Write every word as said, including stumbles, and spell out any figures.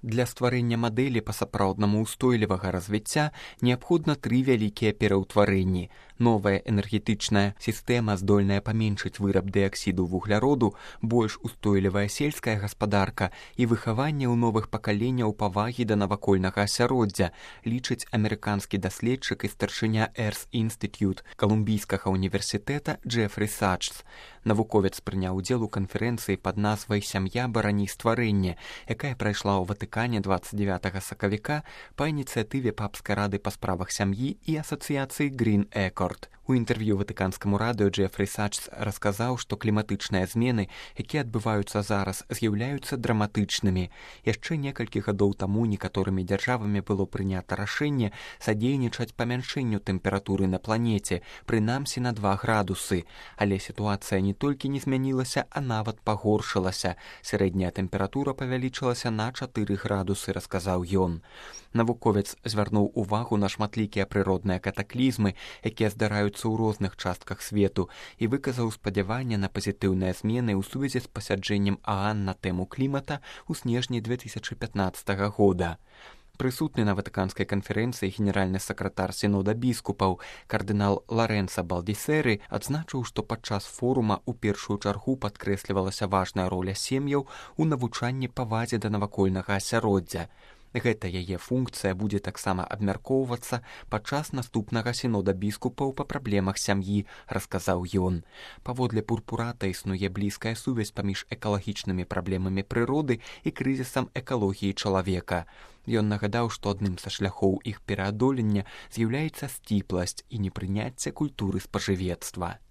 Для стварэння мадэлі па-сапраўднаму ўстойлівага развіцця неабходна тры вялікія пераўтварэнні. Новая энергетычная сістэма, здольная паменшыць выраб дыаксіду вугляроду, больш устойлівая сельская гаспадарка і выхаванне ў новых пакаленняў павагі да навакольнага асяроддзя, лічыць амерыканскі даследчык і старшыня Earth Institute Калумбійскага універсітэта Джефрі Сачс. Навуковец прыняў удзел у канферэнцыі пад назвай «Сям'я барані стварэнне», якая прайшла ў Ватыкане дваццаць дзевятага сакавіка па ініцыятыве папскай рады па справах сям'і і асацыяцыі Green Accord. У інтэрв'ю ватыканскаму радыё Джефрі Сачс расказаў, што кліматычныя змены, якія адбываюцца зараз, з'яўляюцца драматычнымі. Яшчэ некалькі гадоў таму некаторымі дзяржавамі было прынята рашэнне садзейнічаць памяншэнню тэмпературы на планеце, прынамсі на два градусы. Але сітуацыя не толькі не змянілася, а нават пагоршылася. Сярэдняя тэмпература павялічылася на чатыры градусы, расказаў ён. Навуковец звярнуў увагу на шматлікія прыродныя катаклізмы, якія здараюцца ў розных частках свету, і выказаў спадзяванне на пазітыўныя змены ў сувязі з пасяджэннем ААН на тэму клімата ў снежні две тысячы пятнаццатага года. Прысутны на ватыканскай канферэнцыі генеральны сакратар сінода біскупаў кардынал Ларэнца Балдісеры адзначыў, што падчас форума ў першую чаргу падкрэслівалася важная роля сем'яў у навучанні павазе да навакольнага асяроддзя. Гэта яе функцыя будзе таксама абмяркоўвацца падчас наступнага сінода біскупаў па праблемах сям'і, расказаў ён. Паводле Пурпурата існуе блізкая сувязь паміж экалагічнымі праблемамі прыроды і крызісам экалогіі чалавека. Ён нагадаў, што адным са шляхоў іх пераадолення з'яўляецца сціпласць і непрыняцце культуры спажывецтва.